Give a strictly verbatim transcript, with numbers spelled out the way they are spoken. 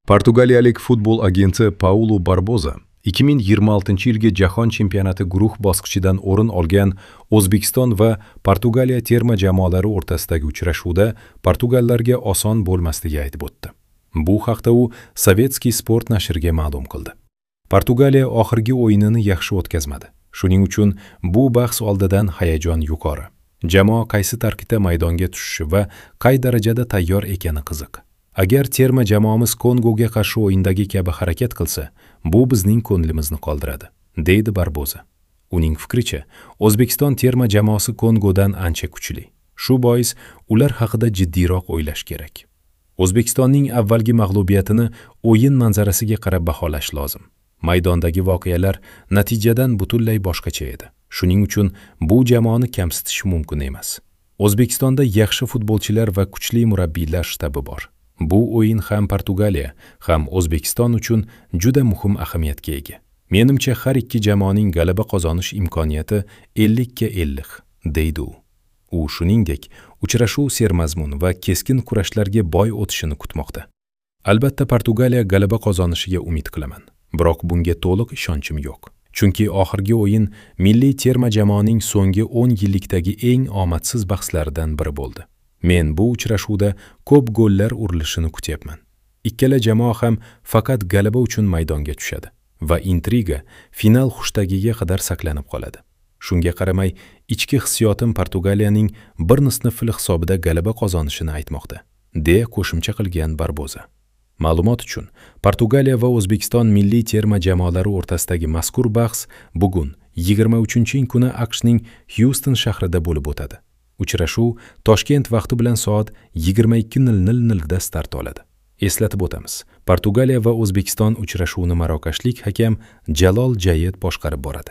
Portugaliyalik futbol agenti Paulo Barboza ikki ming yigirma oltinchi yilgi Jahon chempionati guruh bosqichidan o'rin olgan O'zbekiston va Portugaliya terma jamoalari o'rtasidagi uchrashuvda portugallarga oson bo'lmasligi aytib o'tdi. Bu haqda u Sovetskiy sport nashriga ma'lum qildi. Portugaliya oxirgi o'yinini yaxshi o'tkazmadi. Shuning uchun bu bahs oldidan hayajon yuqori. Jamoa qaysi tarkibda maydonga tushishi va qay darajada tayyor ekani qiziq. Agar terma jamoamiz Kongoga qarshi o'yindagi kabi harakat qilsa, bu bizning ko'nglimizni qoldiradi, deydi Barboza. Uning fikricha, O'zbekiston terma jamoasi Kongodan ancha kuchli. Shu bois ular haqida jiddiyroq o'ylash kerak. O'zbekistonning avvalgi mag'lubiyatini o'yin manzarasiga qarab baholash lozim. Maydondagi voqealar natijadan butunlay boshqacha edi. Shuning uchun bu jamoani kamsitish mumkin emas. O'zbekistonda yaxshi futbolchilar va kuchli murabbiylar shtabi bor. Bu o'yin ham Portugaliya, ham O'zbekiston uchun juda muhim ahamiyatga ega. Menimcha, har ikki jamoaning g'alaba qozonish imkoniyati ellikka ellik, deydi u. U shuningdek, uchrashuv sermazmun va keskin kurashlarga boy o'tishini kutmoqda. Albatta, Portugaliya g'alaba qozonishiga umid qilaman. Biroq bunga to'liq ishonchim yo'q. Chunki oxirgi o'yin milliy terma jamoaning so'nggi o'n yillikdagi eng omadsiz bahslaridan biri bo'ldi. Men bu uchrashuvda ko'p gollar urilishini kutyapman. Ikkala jamoa ham faqat g'alaba uchun maydonga tushadi va intriga final xushtagiga qadar saqlanib qoladi. Shunga qaramay, ichki hissiyotim Portugaliyaning bir nol hisobida g'alaba qozonishini aytmoqda, deya qo'shimcha qilgan Barboza. Ma'lumot uchun, Portugaliya va O'zbekiston milliy terma jamoalari o'rtasidagi mazkur bahs bugun yigirma uchinchi kuni A Q Shning Houston shahrida bo'lib o'tadi. Uchrashuv Toshkent vaqti bilan soat yigirma ikki nol nolda start oladi. Eslatib o'tamiz, Portugaliya va O'zbekiston uchrashuvini marokashlik hakam Jalol Jayed boshqarib boradi.